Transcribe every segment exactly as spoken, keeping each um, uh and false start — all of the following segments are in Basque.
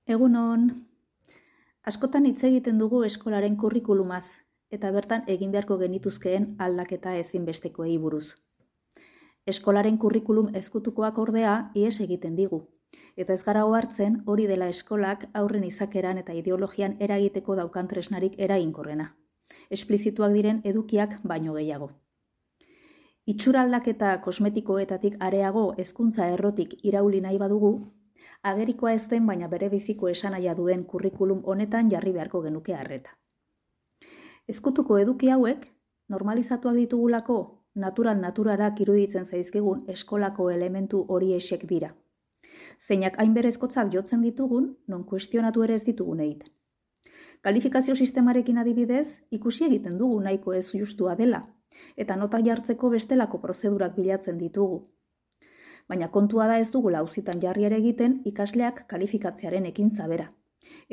Egunon, askotan hitz egiten dugu eskolaren kurrikulumaz eta bertan egin beharko genituzkeen aldaketa ezinbestekoei buruz. Eskolaren kurrikulum ezkutukoak ordea ihes egiten digu, eta ez gara ohartzen hori dela eskolak aurren izakeran eta ideologian eragiteko daukan tresnarik eraginkorrena. Esplizituak diren edukiak baino gehiago. Itxura aldaketa kosmetikoetatik areago hezkuntza errotik irauli nahi badugu, agerikoa ez den baina bere biziko esanahia duen kurrikulum honetan jarri beharko genuke arreta. Ezkutuko eduki hauek, normalizatuak ditugulako, natural naturarak iruditzen zaizkigun eskolako elementu horiexek dira. Zeinak hain berezkotzat jotzen ditugun, non kuestionatu ere ez ditugun egiten. Kalifikazio sistemarekin adibidez, ikusi egiten dugu nahiko ez justua dela, eta nota jartzeko bestelako prozedurak bilatzen ditugu. Baina kontua da ez dugula auzitan jarri ere egiten ikasleak kalifikatzearen ekintza bera.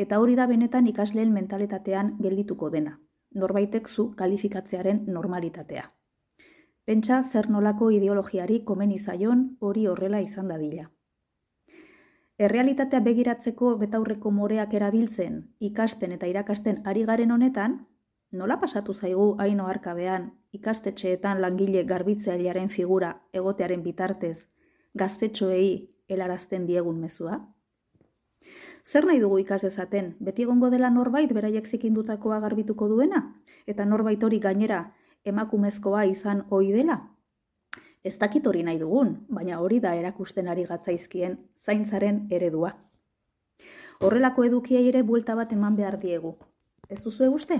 Eta hori da benetan ikasleen mentalitatean geldituko dena, norbaitek zu kalifikatzearen normalitatea. Pentsa zer nolako ideologiari komeni zaion hori horrela izan dadila. Errealitatea begiratzeko betaurreko moreak erabiltzen, ikasten eta irakasten ari garen honetan, nola pasatu zaigu hain oharkabean ikastetxeetan langile garbitzailearen figura egotearen bitartez, gaztetxoei helarazten diegun mezua? Zer nahi dugu ikas dezaten, beti egongo dela norbait beraiek zikindutakoa garbituko duena, eta norbait hori gainera emakumezkoa izan ohi dela? Ez dakit hori nahi dugun, baina hori da erakusten ari gatzaizkien zaintzaren eredua. Horrelako edukiei ere buelta bat eman behar diegu. Ez duzue uste?